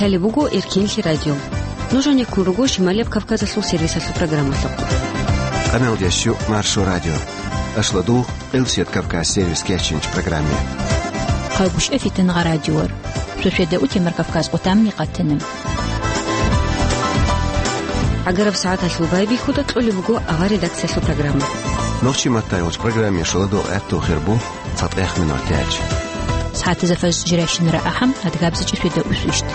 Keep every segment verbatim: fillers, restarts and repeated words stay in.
Гьале буго Эркинлъи радио. Нуж гьанеккун руго Шималияб Кавказалъул сервисалъул программалъухъ. Къаналдящу Маршо радио. Ашладул Къилсият Кавказ сервис кечинч программе. Хъайгъушев Фитангъа радиор. Шошеда утемар Кавказ къутамни къатана. Агараб сагӀаталъул байбихьуда кьолеб буго авар редакциялъул программа. Нохчи маттай гъоч программе шоладул гӀатту хирбу. ЦатӀех минутач. СагӀатазда фажр жирайщинара ахӀам, адгабзичӀи шведа усвищт.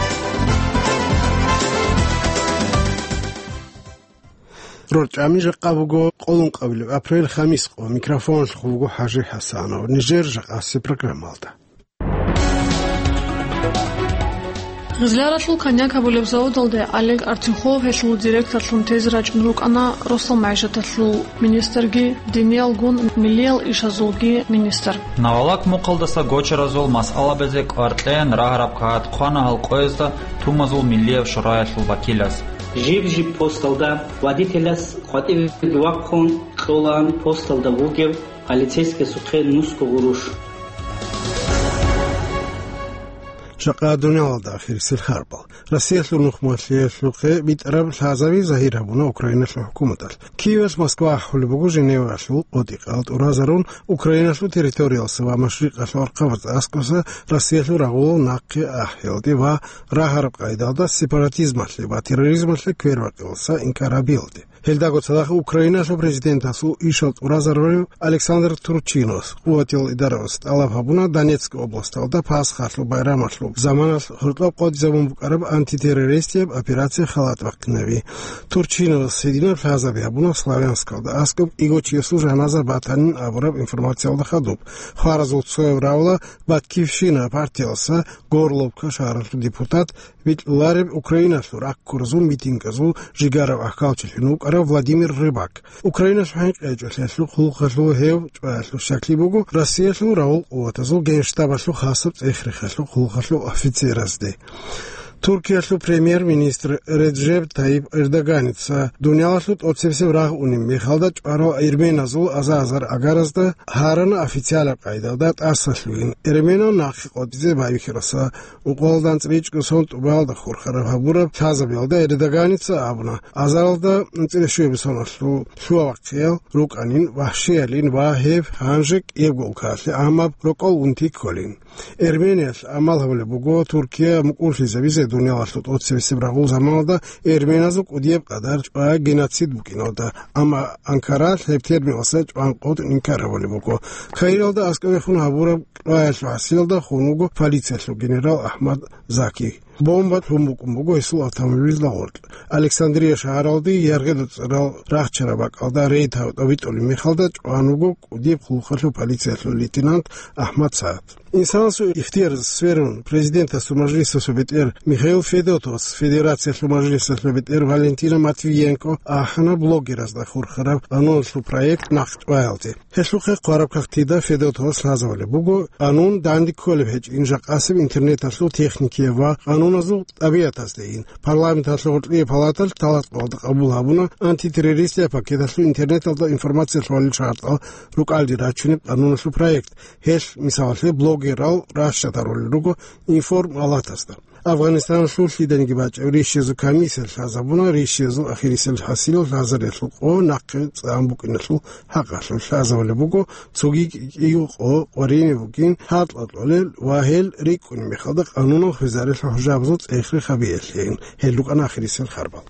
РорчӀами жакъа буго къолункъабилеб апрель, хамис къо. Микрофонлъухъ буго ХӀажи ХӀасанов. Нижер жакъаси программалда. Гъизляралъул коньяк гьабулеб заводалде Олег Артюхов гьелъул директорлъун тезе рачӀун рукӀана росал магӀишаталъул министрги, диниялгун миллиял ишазулги министр. Навалак мухъалдаса гочаразул масъалабазе кӀвар кьеян рагьараб кагъат хъвана гьал къоязда тумазул миллияб шураялъул вакилас. Жиб-жиб посталда водителяс къватӀибеги вахъун кьолаан посталда вугев полицейскиясухъе нусго гъурущ. Жакъа дуниялалда ахирисел харбал. Россиялъул нухмалъиялъухъе битӀараб лъазаби загьир гьабуна Украиналъул хӀукуматалъ. Киевалъ Москва ахӀулеб буго Женевалъул къотӀи-къал тӀуразарун Украиналъул территориялса ва машрикъалъул архъабаз аскӀоса Россиялъул рагъулал нахъе ахӀиялде ва рагьараб къайдалда сепаратизмалъе ва терроризмалъе квербакъиялса инкар гьабиялде. Гьелдаго цадахъ Украиналъул президентасул ишал тӀуразарулев Александр Турчиновас, къуватиял идаравас тӀалаб гьабуна Донецк областалда Пасхалъул байрамалъул заманалъ гьоркьоб къотӀизабун букӀараб антитеррористияб операция халат бахъинаби. Турчиновас гьединаб лъазаби гьабуна Славянскалда аскӀоб кӀиго чиясул жаназа батанин абураб информациялда хадуб. Хваразул цояв равла Батькивщина партиялса Горловка шагьаралъул депутат витӀулареб Украиналъул раккуразул митинказул жигарав ахкалчилъун вукӀарав Владимир Рыбак. Украиналъул хӀинкъичӀолъиялъул хъулухъалъул гьев чӀваялъул щаклъи буго Россиялъул рагъул къуватазул генштабалъул хасаб цӀех-рехалъул хъулухъалъул офицеразде. Туркиялъул премьер-министр Реджеп Тайип Эрдоганица дуниялалъул тӀоцебесеб рагъ унеб мехалда чӀварал эрменазул аза-азар агаразда гьарана официалаб къайдалда тӀасалъугьин, эрменал нахъе къотӀизе байбихьараса. Укъалда анцӀричӀго сон тӀубалда хурхараб гьабураб лъазабиялда Эрдоганица абуна, азаралда анцӀила щуяб соналъул лъугьа-вахъиял рукӀанин, вагьшиялин ва гьеб гьанже кӀиябго улкаялъе гӀамаб рокъов унти кколин. Эрмениялъ амал гьабулеб буго Туркия мукӀурлъизабизе дуниялалъул тӀоцебесеб рагъул заманалда эрменазул кӀудияб къадар чӀвай геноцид букӀиналда, амма Анкаралъ гьеб терминалса чӀван къотӀун инкар гьабулеб буго. Каиралда аскӀовехун гьабураб кьваялъул хӀасилалда хун вуго полициялъул генерал Ахмад Заки. Бомба лъун букӀун буго гьесул автомобилалда гъоркь. Александрия шагьаралде яргъида цӀарал рахчараб бакӀалда рейд гьаб-, гьабитӀулеб мехалда чӀван вуго кӀудияб хъулухъалъул полициялъул лейтенант Ахмад Саад. Инсанасул ихтияр сверун, президентасул мажлисалъул бетӀер Михаил Федотовас Федерациялъул мажлисалъул бетӀер Валентина Матвиенко ахӀана блогеразда хурхараб къануналъул проект нахъ чӀваялде. Гьелъухъе хъвараб кагътида Федотовас лъазабулеб буго къанун данде кколеб гьечӀин жакъасеб интернеталъул техникияб ва къануназул тӀабигӀатаздейин. Парламенталъул гъоркье палаталъ талатӀкъоялда къабул гьабуна антитеррористияб пакеталъул интернеталда информация лъугьалил шартӀал рукӀалде рачунеб къануналъул проект. Гьелъ, мисалалъе, блогерал ращад гьарулел руго информалатазда. Афганистаналъул лъиданиги бачӀеб рищиязул комиссия лъазабуна рищиязул ахирисел хӀасилал лъазариялъул къо нахъе цӀан букӀиналъул хӀакъалъулъ. Лъазабулеб буго цоги кӀиго къо къваригӀине букӀин гьаркьа кьолел ва гьел рикӀкӀунеб мехалда къанунал хвезарелъул хӀужабазул цӀех-рех гьабиялъейин. Гьел рукӀана ахирисел харбал.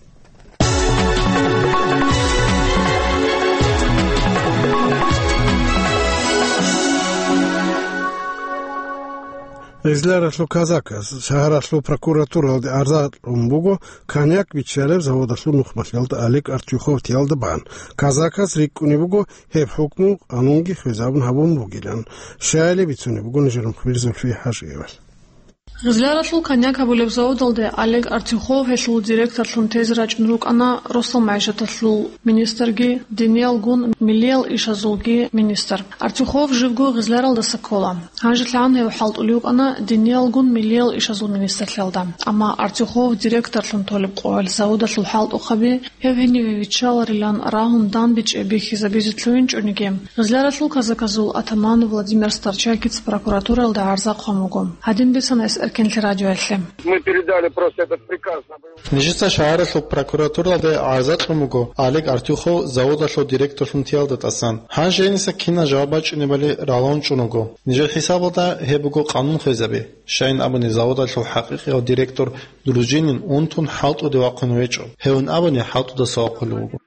Гъизляралъул Казакас шагьаралъул прокуратуралде арза кьун буго коньяк биччалеб заводалъул нухмалъиялда Олег Артюховтиялда бан. Казакас рикӀкӀунеб буго гьеб хӀукму къанунги хвезабун гьабун бугилан. Щайилеб бицунеб буго нижер мухбир Зульфия ХӀажиевалъ. Гъизляралъул коньяк гьабулеб заводалде Олег Артюхов гьелъул директорлъун тезе рачӀун рукӀана росал магӀишаталъул министрги, диниялгун миллиял ишазулги министр. Артюхов живго Гъизляралдаса ккола. ГьанжелъагӀан гьев хӀалтӀулев вукӀана диниялгун миллиял ишазул министрлъиялда. Амма Артюхов директорлъун толеб къоялъ заводалъул хӀалтӀухъаби гьев гьениве виччаларилан рагьун данбичӀеб бихьизабизе лъугӀинчӀониги, Гъизляралъул казаказул атаман Владимир Старчакица прокуратуралда гӀарза хъван вуго. Гьадин бицана гьес Эркенлъи радиоялъе. Мы передали просто этот приказ на боевой. Нижеца шагьаралъул прокуратуралде гӀарза кьун буго Олег Артюхов заводалъул директорлъун теялда тӀасан. Гьанже гьениса кинал жаваб бачӀунебали ралъун чӀун вуго. Нижер хӀисабалда гьеб буго къанун хвезаби. Щайин абуни, заводалъул хӀакъикъияв директор Дружинин унтун хӀалтӀуде вахъун гьечӀо. Гьевин абуни, хӀалтӀудаса вахъулев вуго.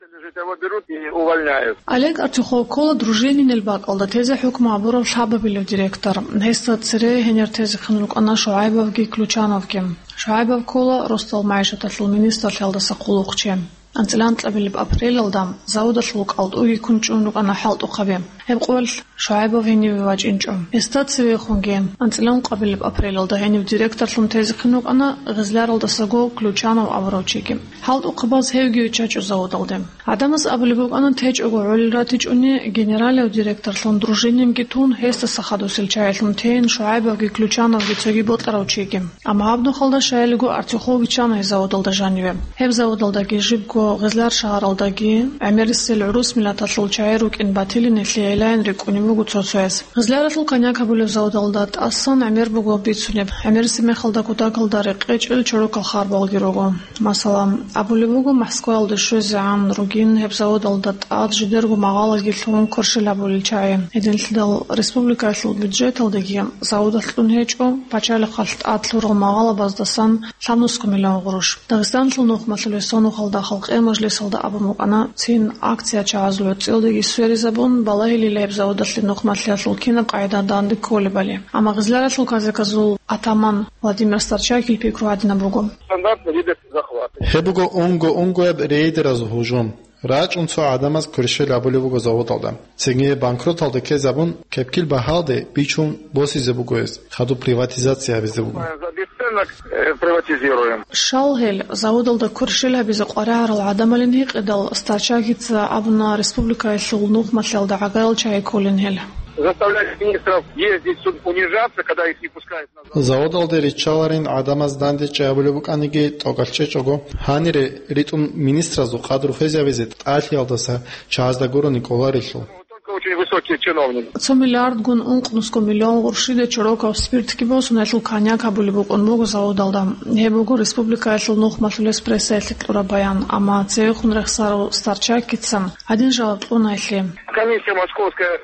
Олег Артюхов ккола Дружининил бакӀалда тезе хӀукму гьабурав лъабабилев директор. Гьесда цере гьенир тезехъин рукӀана ШугӀайбовги Ключановги. ШугӀайбов ккола росдал магӀишаталъул министрлъиялдаса хъулухъчи. АнцӀила анкьабилеб апрелалда заводалъул кӀалтӀуги ккун чӀун рукӀана хӀалтӀухъаби. Гьеб къоялъ ШугӀайбов гьениве вачӀинчӀо. Гьесда цевехунги, анцӀила ункъабилеб апрелалда гьенив директорлъун тезехъин рукӀана Гъизляралдасаго Ключанов абурав чиги. ХӀалтӀухъабаз гьевги виччачӀо заводалде. ГӀадамаз абулеб букӀана, течӀого гӀолил ратичӀони, генералав директорлъун Дружининги тун, гьесдаса хадусел чагӀилъун тейин, ШугӀайбовги Ключановги цоги бокьарав чиги. Амма гьаб нухалда, щайилго, Артюхов виччана гьеб заводалда жаниве. Гьеб заводалдаги жибго Гъизлар шагьаралдаги гӀемерисел гӀурус миллаталъул чагӀи рукӀин батилинилъе гӀелаин рикӀкӀунеб буго цо-цояс. Гъизларалъул коньяк гьабулеб заводалда тӀасан гӀемер буго бицунеб. ГӀемериси мехалда кутакалда рекъечӀел чорокал харбалги руго. Масала, абулеб буго, Москваялде щвезегӀан ругин гьеб заводалда тӀад жидерго магъалаги лъугьун кверщел гьабулел чагӀи. Гьединлъидал республикаялъул бюджеталдаги заводалъ кьун гьечӀо, пачалихъалъ тӀад лъурал магъалабаздасан лъабнусго миллион гъурущ. Дагъистаналъул нухмалъулес сонухалда халкъиял мажлисалда абун букӀана, цин акция чагӀазул гӀуцӀиялдаги сверизабун, балагьилила гьеб заводалъе нухмалъиялъул кинаб къагӀида данде кколебали. Амма Гъизларалъул казаказул атаман Владимир Старчакил пикру гьадинаб буго. Стандартный вид захвата. Гьеб буго унго-унгояб рейдераз гьужум. РачӀун цо гӀадамаз кверщел гьабулеб буго заводалда. Цинги банкроталде ккезабун, кепкил багьалде бичун босизе буго гьес, хадуб приватизация гьабизе буго. За бесценок, э, приватизируем. Щал гьел заводалда кверщел гьабизе къваригӀарал гӀадамалин гьикъидал, Старчакица абуна республикаялъул нухмалъиялда гӀагарал чагӀи кколин гьел. Заставлять министров ездить суд, унижаться, когда их не пускают на завод. Заводалде риччаларин гӀадамаз дандечӀей абулеб букӀаниги тӀокӀалъ чӀечӀого, гьанире ритӀун министразул къадру хвезабизе тӀалъиялдаса чагӀазда гурони кӀоларелъул. Только очень высокие чиновники. Цо миллиардгун ункънусго миллион гъурщиде чорокав спиртги босун, гьелъул коньяк гьабулеб букӀун буго заводалда. Гьеб буго республикаялъул нухмалъулес прессаялъе кьураб баян, амма цевехун рехсарав Старчакица гьадин жаваб кьуна гьелъе. Комиссия московская.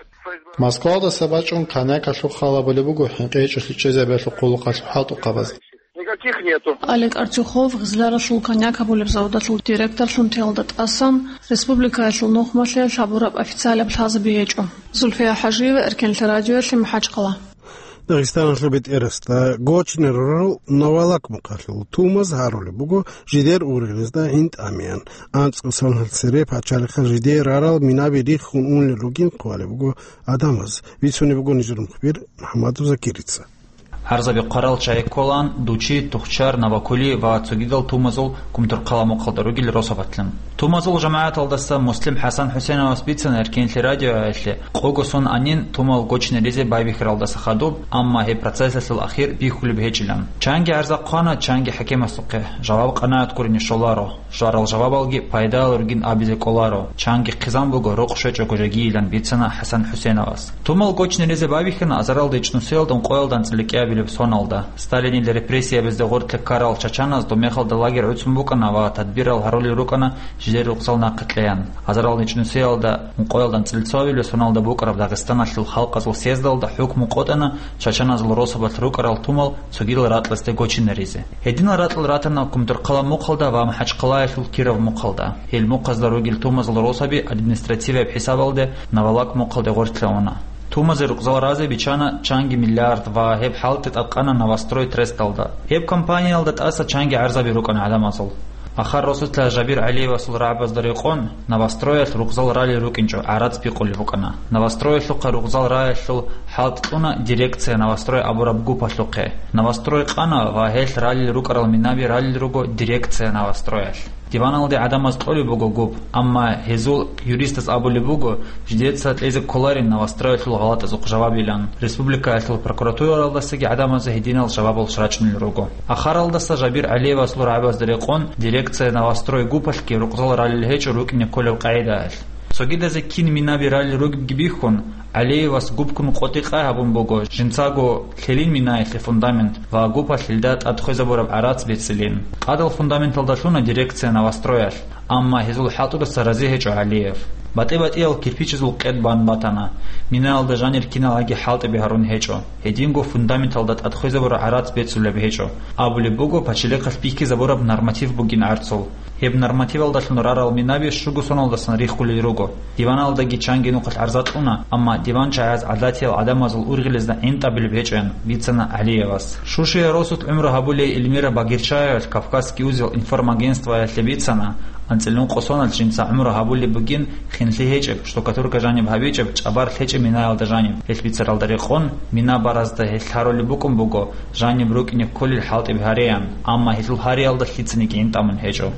Москвалдаса бачӀун коньякалъул хал гьабулеб буго хӀинкъи гьечӀолъи чӀезабиялъул хъулухъалъул хӀалтӀухъабаз. Никаких нету. Олег Артюхов Гъизларалъул коньяк гьабулеб заводалъул директорлъун теялда тӀасан республикаялъул нухмалъе лъабураб официалаб лъазаби гьечӀо. Зульфия ХӀажиева, Эркенлъи радиоялъе, МахӀачхъала. Дагъистаналъул бетӀерасда Гочнерурал Новолак мухъалъул тумаз гьарулеб буго жидер ургъизда гӀин тӀамеян. АнцӀго соналъ цере пачалихъал жидее рарал минаби риххун унел ругин хъвалеб буго гӀадамаз. Бицунеб буго нижер мухбир МухӀаммадов Закирица. ГӀарзаби хъварал чагӀи кколаан Дучи, Тухчар, Новокули ва цогидал тумазул Кумторхъала мухъалда ругел росабалъун. Тумазул жамагӀаталдаса Муслим ХӀасан ХӀусеновас бицана Эркенлъи радиоялъе, къого сон анин тумал гочнеризе байбихьаралдаса хадуб, амма гьеб процессалъул ахир бихьулеб гьечӀилан. Чанги гӀарза хъвана, чанги хӀакимасухъе, жаваб къанагӀат гурони щоларо. Жварал жавабалги пайдалал ругин абизе кӀоларо, чанги хъизан буго рокъ щвечӀого жагийилан бицана ХӀасан ХӀусеновас. Тумал гочнеризе байбихьана азаралда ичӀнусиялда ункъоялда анцӀила кӀиабилеб соналда. Сталинил репрессиябазде гъоркье ккарал чачаназ доб мехалда лагерь гӀуцун букӀана ва тадбирал гьарулел рукӀана жидер рукъзал нахъе кьеян. Азаралда ичӀнусиялда ункъоялда анцӀила цоабилеб соналда букӀараб Дагъистаналъул халкъазул съездалда хӀукму къотӀана чачаназул росабалъ рукӀарал тумал цогидал ракьалдасде гочинаризе. Гьединал ракьал ратана Кумторхъала мухъалда ва МахӀачхъалаялъул Киров мухъалда. Гьел мухъазда ругел тумазул росаби административияб хӀисабалде Новолак мухъалде гъорлъе уна. Тумазе рукъзал разе биччана чанги миллиард ва гьеб хӀалтӀи тӀадкъана «Новострой» тресталда. Гьеб компаниялда тӀаса чанги гӀарзаби рукӀана гӀадамазул. Ахар росулъа Жабир ГӀалиевасул рагӀабазда рекъон, «Новостроялъ» рукъзал ралел рукӀинчӀо гӀарац бикъулеб букӀана. «Новостроялъухъа» рукъзал раялъул хӀалтӀ кьуна «Дирекция Новострой» абураб гупалъухъе. «Новострой» къана ва гьелъ ралел рукӀарал минаби ралел руго «Дирекция Новостроялъ». Диваналде гӀадамаз кьолеб буго гуп, амма гьезул юристаз абулеб буго, жидеца кьезе кколарин «Новостроялъул» гъалатӀазухъ жавабилан. Республикаялъул прокуратуралдасаги гӀадамазе гьединал жавабал рачӀунел руго. Ахаралдаса Жабир ГӀалиевасул рагӀабазда рекъон, «Дирекция Новострой» гупалъги рукъзал ралел гьечӀо рукӀине кколеб къагӀидаялъ. Цогидазе кин минаби ралел ругебги бихьун, ГӀалиевас гупкун къотӀи-къай гьабун буго, жинцаго лъелин минаялъе фундамент ва гупалъ гьелда тӀад хвезабураб гӀарац бецӀилин. Къадал фундаменталда лъуна дирекция «Новостроялъ», амма гьезул хӀалтӀудаса рази гьечӀо ГӀалиев. БатӀи-батӀиял кирпичазул къед бан батана. Минаялда жанир киналгьаги хӀалтӀи бигьарун гьечӀо. Гьединго фундаменталда тӀад хвезабураб гӀарац бецӀулеб гьечӀо. Абулеб буго, пачелихъалъ бихьизабураб норматив бугин гӀарцул. Гьеб нормативалдалъун рарал минаби щуго соналдасан риххулел руго. Диваналдаги чанги нухалъ гӀарза кьуна, амма диван чагӀаз гӀадатиял гӀадамазул ургъелезда гӀинтӀабилеб гьечӀоян, бицана ГӀалиевас. Шушиял росулъ гӀумру гьабулей Эльмира Багирчаевалъ «Кавказский узел» информагентствоялъе бицана, анцӀила нукъо соналъ жинца гӀумру гьабулеб бугин, хинлъи гьечӀеб, штукатурка жаниб гьабичӀеб, чӀабар лъечӀеб минаялда жаниб. Гьелъ бицаралда рекъон, мина баразда гьелъ гьарулеб букӀун буго, жаниб рукӀине кколел хӀалтӀи бигьареян, амма гьелъул гьариялда лъицаниги гӀинтӀамун гьечӀо.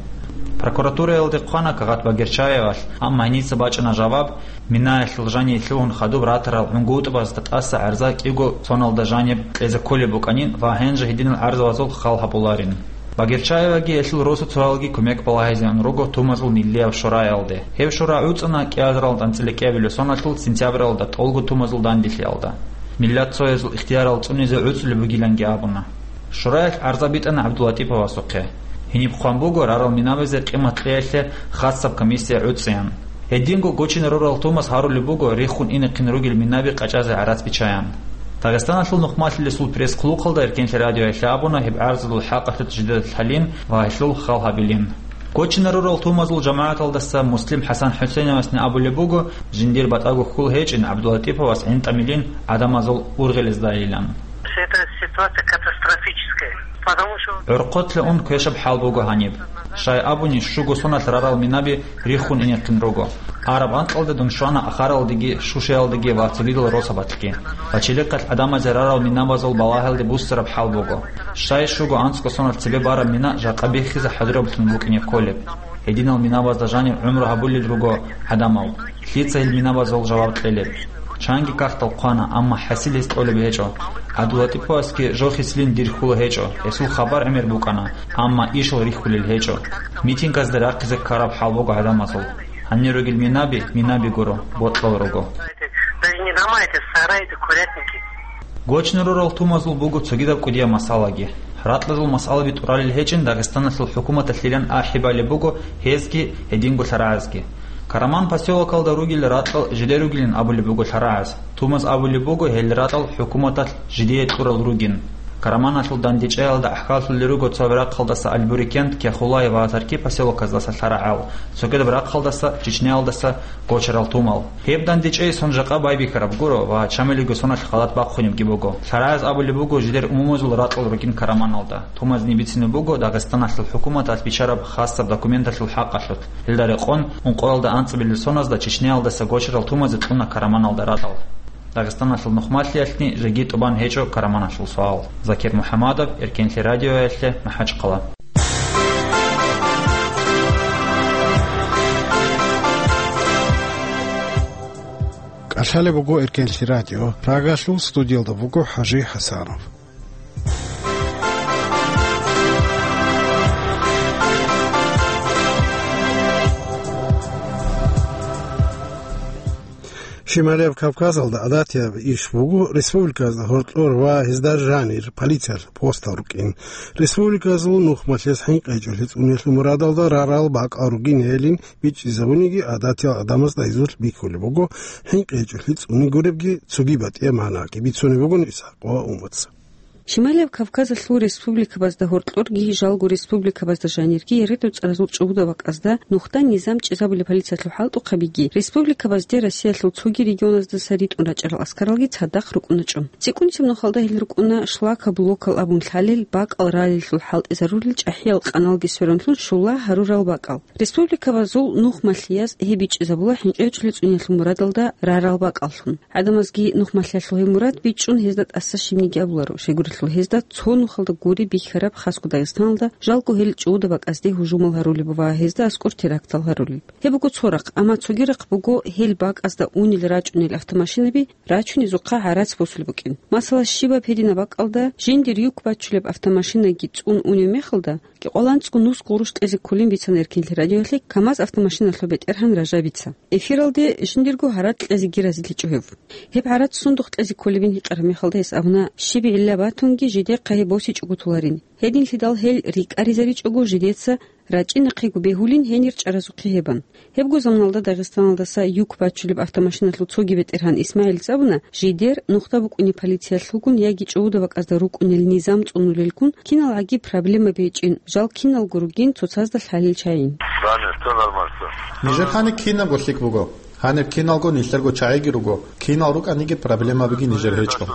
Прокуратураялде хъвана кагъат Багирчаевалъ, амма гьеница бачӀана жаваб, минаялъул жание лъугьун хадуб ратарал гӀунгутӀбазда тӀаса гӀарза кӀиго соналда жаниб кьезе кколеб букӀанин ва гьанже гьединал гӀарзабазул хал гьабуларин. Багирчаеваги гьелъул росуцоялги кумек балагьизеян руго Тумазул миллияб шураялде. Гьеб шура гӀуцӀана кӀиазаралда анцӀила кӀиабилеб соналъул сентябралда тӀолго Тумазул данделъиялда. Миллат цоязул ихтиярал цӀунизе гӀуцӀулеб бугиланги абуна. Шураялъ гӀарза битӀана ГӀабдулатӀиповасухъе. Гьениб хъван буго рарал минабазе къимат кьеялъе хасаб комиссия гӀуцӀеян. Гьединго Гочинарурал Тумаз гьарулеб буго риххун инехъин ругел минаби къачӀазе гӀарац биччаян. Дагъистаналъул нухмалъилесул пресс-хъулухъалда Эркенлъи радиоялъе абуна гьеб гӀарзазул хӀакъалъулъ жидедалъ лъалин ва гьелъул хал гьабилин. Гочинарурал Тумазул жамагӀаталдаса Муслим ХӀасан ХӀусейновасни абулеб буго, жиндир батӀаго хьул гьечӀин ГӀабдулатӀиповас гӀинтӀамилин гӀадамазул ургъелездайилан. Это ситуация катастрофическая, потому что ГӀурхъулъе ун квешаб хӀал буго гьаниб. Щай абуни, щуго соналъ рарал минаби риххун инехъин руго. Араб анкьалда дун щвана Ахаралдеги, Шушиялдеги ва цогидал росабалъги. Пачелихъалъ гӀадамазе рарал минабазул балагьалде буссараб хӀал буго. Щай щуго анцӀго соналъ цебе бараб мина жакъа биххизе хӀадураблъун букӀине кколеб. Гьединал минабазда жаниб гӀумру гьабулел руго гӀадамал. Лъица гьел минабазул жаваб кьелеб? Чанги кагътал хъвана, амма хӀасил гьес тӀолеб гьечӀо. ГӀабдулатӀиповасги жо хисилин дир хьула гьечӀо, гьесул хабар гӀемер букӀана, амма ишал рихьулел гьечӀо. Митингазда рахъизе ккараб хӀал буго гӀадамазул. Гьанир ругел минаби, минаби гуро, бокьал руго. Даже не дома, это сараи, это курятники. Гочнарурал Тумазул буго цогидаб кӀудияб масъалаги. Ракьазул масъалаби тӀуралел гьечӀин Дагъистаналъул хӀукуматалъилан ахӀи балеб буго гьезги, гьединго лъарагӀазги. Караман посёлокалда ругел ракьал жидер ругилин абулеб буго лъарагӀаз. Тумаз абулеб буго гьел ракьал хӀукуматалъ жидее кьурал ругин. Караманалъул дандечӀаялда гӀахьаллъулел руго цо рахъалдаса Альбурикент, Кяхулай ва Тарки посёлоказдаса лъарагӀал, цогидаб рахъалдаса, Чечняялдаса гочарал тумал. Гьеб дандечӀей сон жакъа байбихьараб гуро ва чамилиго соналъ халат бахъунебги буго. ЛъарагӀаз абулеб буго жидер умумузул ракьал ругин Караманалда. Тумазни бицунеб буго Дагъистаналъул хӀукуматалъ бичараб хасаб документалъул хӀакъалъулъ. Гьелда рекъон, ункъоялда анцӀабилел соназда Чечняялдаса гочарал тумазе кьуна Караманалда ракьал. Дагъистаналъул нухмалъиялъни жеги тӀубан гьечӀо Караманалъул суал. Закир МухӀамадов, Эркенлъи радиоялъе, МахӀачхъала. КӀалъалеб буго Эркенлъи радио. Прагалъул студиялда буго ХӀажи ХӀасанов. Шималияб Кавказалда гӀадатияб иш буго республиказда гьоркьор ва гьезда жанир полициялъ постал рукӀин. Республиказул нухмалъиялъ хӀинкъи гьечӀолъи цӀуниялъул мурадалда рарал бакӀал ругин гьелин бичӀчӀизабуниги гӀадатиял гӀадамазда гьезулъ бихьулеб буго, хӀинкъи гьечӀолъи цӀуни гуребги цоги батӀияб магӀнаги бицунеб бугони Исхакъ ва Умаца. Шималияб Кавказалъул республикабазда гьоркьорги, жалго республикабазда жанирги ягъидул цӀаразул чӀугуда бакӀазда нухда низам чӀезабулеб полициялъул хӀалтӀухъабиги, республикабазде Россиялъул цоги регионаздаса ритӀун рачӀарал аскаралги цадахъ рукӀуначӀо. ЦӀикӀкӀунцеб нухалда гьел рукӀуна шлакоблокал абун лъалел, бакӀал ралеллъул хӀалтӀизарулел чӀахӀиял къаналги сверунлъун щула гьарурал бакӀал. Республикабазул нухмалъияз гьеб бичӀчӀизабула хӀинкъи гьечӀолъи цӀуниялъул мурадалда рарал бакӀаллъун. ГӀадамазги нухмалъиялъул гьеб мурад бичӀчӀун гьезда тӀаса щибниги абуларо, щайгурелъул Гьезда цо нухалда гури бихьараб хасго Дагъистаналда жалго гьел чӀуда бакӀазде гьужумал гьарулеб ва гьезда аскӀор терактал гьарулеб. Гьеб буго цо рахъ, амма цоги рахъ буго гьел бакӀазда унел рачӀунел автомашинаби рачунезухъа гӀарац босулеб букӀин. Масала, щибаб гьединаб бакӀалда жиндир юк бачулеб автомашинаги цӀун унев мехалда, кӀикъоялда анцӀго нусго гъурущ кьезе кколин бицана Эркинлъи радиоялъе КамАЗ автомашиналъул бетӀергьан Ражабица. Эфиралде жиндирго гьаракь кьезеги разилъичӀо гьев. Гьеб гӀарац сундухъ кьезе кколебин гьикъараб мехалда гьес абуна, щиб гӀилла батунги жидехъа гьеб босичӀого толарин. Гьединлъидал гьел рикӀкӀаризаричӀого жидеца рачӀинахъего бегьулин гьенир чӀаразухъе гьебан. Гьебго заманалда Дагъистаналдаса юк бачулеб автомашиналъул цоги бетӀергьан ИсмагӀилица абуна, жидер нухда букӀунеб полициялъулгун яги чӀуда бакӀазда рукӀунел низам цӀунулелгун киналгӀаги проблемаби гьечӀин, жал киналго ругин цоцазда лъалел чагӀи. Да не, всё нормально, всё. Нижер гьаниб кинабго лъикӀ буго. Гьаниб киналго нилъерго чагӀиги руго. Кинал рукӀаниги проблемабиги нижер гьечӀо.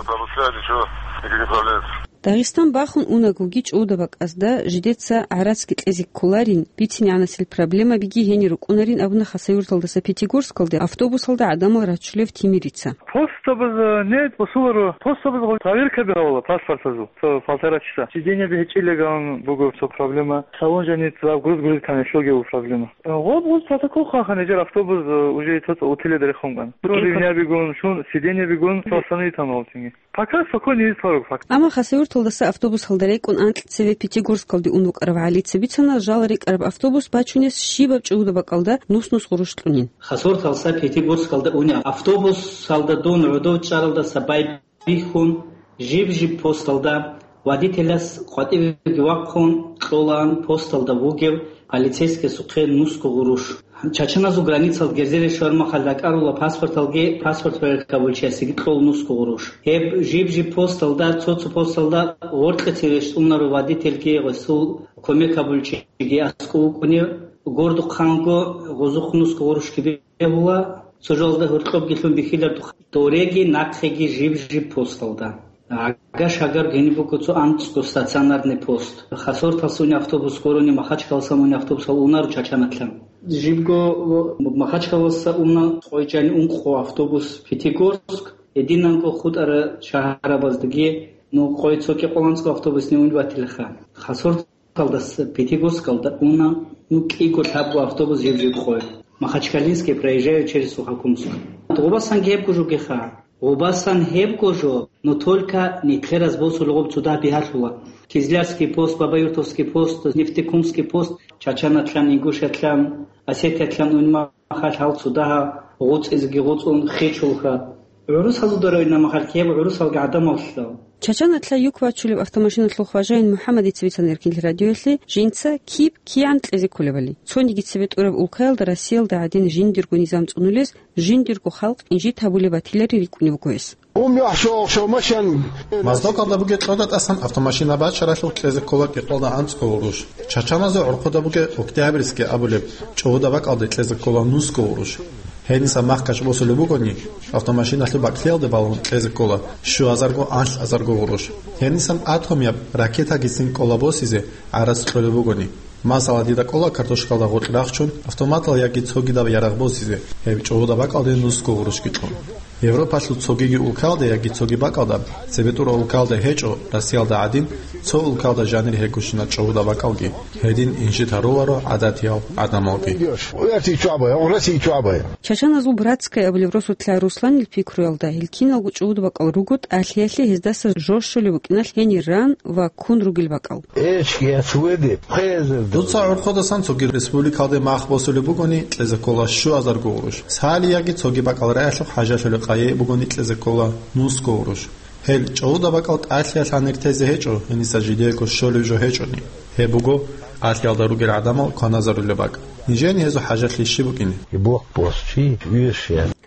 Дагъистан бахун унагоги чӀуда бакӀазда жидеца гӀарацги кьезе кколарин, бицин-гӀанасел проблемабиги гьенир рукӀунарин абуна Хасавюрталдаса Пятигорскалде автобусалда гӀадамал рачулев Тимирица. Постабаз, э, не, посуларо, постабаз гъо-, проверкаби гьавала паспортазул, цо полтора часа. Сиденьеби гьечӀилеган буго цо проблема. Салон жаниб загруз-груз ккани щоги буго проблема. Э, гъоб-гъоб протокол хъван-, хъанижер автобус, э, уже цо-цо утиледа рехун ккан. Шун ривнябигун, шун сиденьебигун, цо остановитан гъолтинги. Пока спокойно ездит пару, пока. Амма Хасавюрталдаса автобусалда рекӀун анкьцеве Пятигорскалде ун вукӀарав ГӀалица бицана, жал рикӀкӀараб автобус бачунес щибаб чӀуда бакӀалда нус-нус гъурущ кьунин. Хасавюрталдаса Пятигорскалда унеб автобусалда дун гӀодов чӀаралдаса байбихьун, жиб-жиб посталда, водителас къватӀивеги вахъун кьолаан посталда вугев полицейскиясухъе нусго гъурущ. Чачаназул границал герзере щвараб мехалъ ракӀарула паспорталги, паспорт проверкабулчиясеги кьол нусго гъурущ. Гьеб жиб-жиб посталда, цо-цо посталда гъоркье цеве щтӀунаро водительги, гъосул кумекабулчиги аскӀов вукӀунев, гордухъанго гъозухъ нусго гъурущги бегьула, цо жалазда гьоркьобги лъун бихьиларухъ, дореги нахъеги жиб-жиб посталда. Гьагаш-гьагар гьениб буго цо анцӀго стационарный пост. Хасавюрталъуса унеб автобус гурони, Махачкаласа унеб автобусал унаро Чачаналъан. Жибго Махачкаласа уна къойчӀани ункъо автобус Пятигорск, гьединанго хутӀарал шагьарабаздаги, ну, къой цо кӀикъоялда анцӀго автобусни унеб батилаха. Хасавюрт Калдас Пятигорскалда уна, ну, кӀиго-лъабго автобус жиб-жиб къой. Махачкалинский проезжает через Сухокумск. Гъобасан гьебго жо бугеха. Гъобасан гьебго жо, но только нилъер гъоз босулеб гъоб цо дагьаб бигьалъула. Кизлярский пост, Бабаюртовский пост, Нефтекумский пост, Чачаналъан, Ингушетлъан, Осетиялъан унеб мехалъ гьал цо дагьаб гъуцӀизеги гъуцӀун хечӀолха. ГӀурусазда районал мехалъ гьеб гӀурусалги гӀадамаллъал. Чачаналъа юк бачулеб автомашиналъул хважаин МухӀаммадица бицана Эркинлъи радиоялъе жинца киб кигӀан кьезе кколебали. Цониги цебетӀураб улкаялда Россиялда гӀадин жиндирго низам цӀунулез, жиндирго халкъ инжит гьабулеб батилари рикӀкӀунеб буго гьес. Ум яхӀ шо-, шо машин. Моздокалда бугеб кьода тӀасан автомашина бачаралъухъ кьезе ккола кӀикъоялда анцӀго гъурущ. Чачаназул гӀурхъуда бугеб Октябрьский абулеб чӀугӀуда бакӀалде кьезе ккола нусго гъурущ. Гьениса махкаш босулеб бугони, автомашиналъул бакӀлъиялде балун кьезе ккола щуазарго-анлъазарго гъурущ. Гьенисан атомияб ракетагицин кӀола босизе гӀарац кьолеб бугони. Масала, дида кӀола картошкалда гъоркь рахчун, автоматал яги цогидаб ярагъ босизе, гьеб чӀугӀуда бакӀалде нусго гъурущги кьун. Европалъул цогиги улкалда яги цоги бакӀалда, цебетӀура улкалда гьечӀо, Россиялда гӀадин, цо улкалда жанир гьегощина чӀугӀуда бакӀалги, гьедин инжит гьаруларо гӀадатиял гӀадамалги. Чачаназул Братская абулеб росулъа Русланил пикруялда, гьел киналго чӀугӀуда бакӀал руго тӀалъиялъе гьездаса жо щолеб букӀиналъ гьенир ран ва ккун ругел бакӀал. Дуца гӀурхъудасан цоги республикалде мах босулеб бугони, кьезе ккола щуазарго гъурущ. Цали яги цоги бакӀал раялъухъ хӀажалъулеб къайи бугони, кьезе ккола нусго гъурущ. Гьел чӀугӀуда бакӀал тӀалъиялъ гьанир тезе гьечӀо, гьениса жидеего щолеб жо гьечӀони. Гьеб буго, тӀалъиялда ругел гӀадамал кваназарулеб бакӀ. Нижени гьезул хӀажалъи щиб букӀине?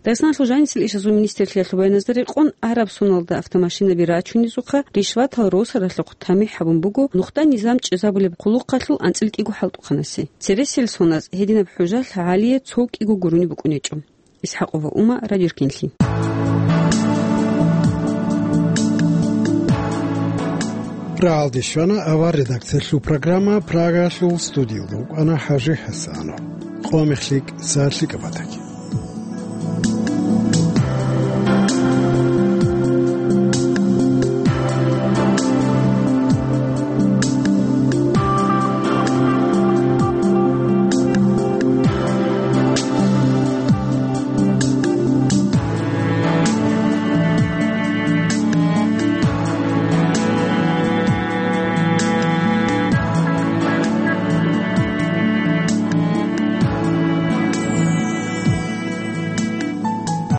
Дагъистаналъул жанисел ишазул министрлъиялъул баяназда рекъон, араб соналда автомашинаби рачунезухъа ришватал росаралъухъ тамихӀ гьабун буго нухда низам чӀезабулеб хъулухъалъул анцӀила кӀиго хӀалтӀухъанасе. Цересел соназ гьединаб хӀужалъ гьалие цо кӀиго гурони букӀунечӀо. Исхакова Ума, Радио Эркинлъи. Рагьалде щвана авар редакциялъул программа, Прагалъул студиялда вукӀана ХӀажи ХӀасанов. Къо мехлъи, сагӀат лъикӀаб батаги.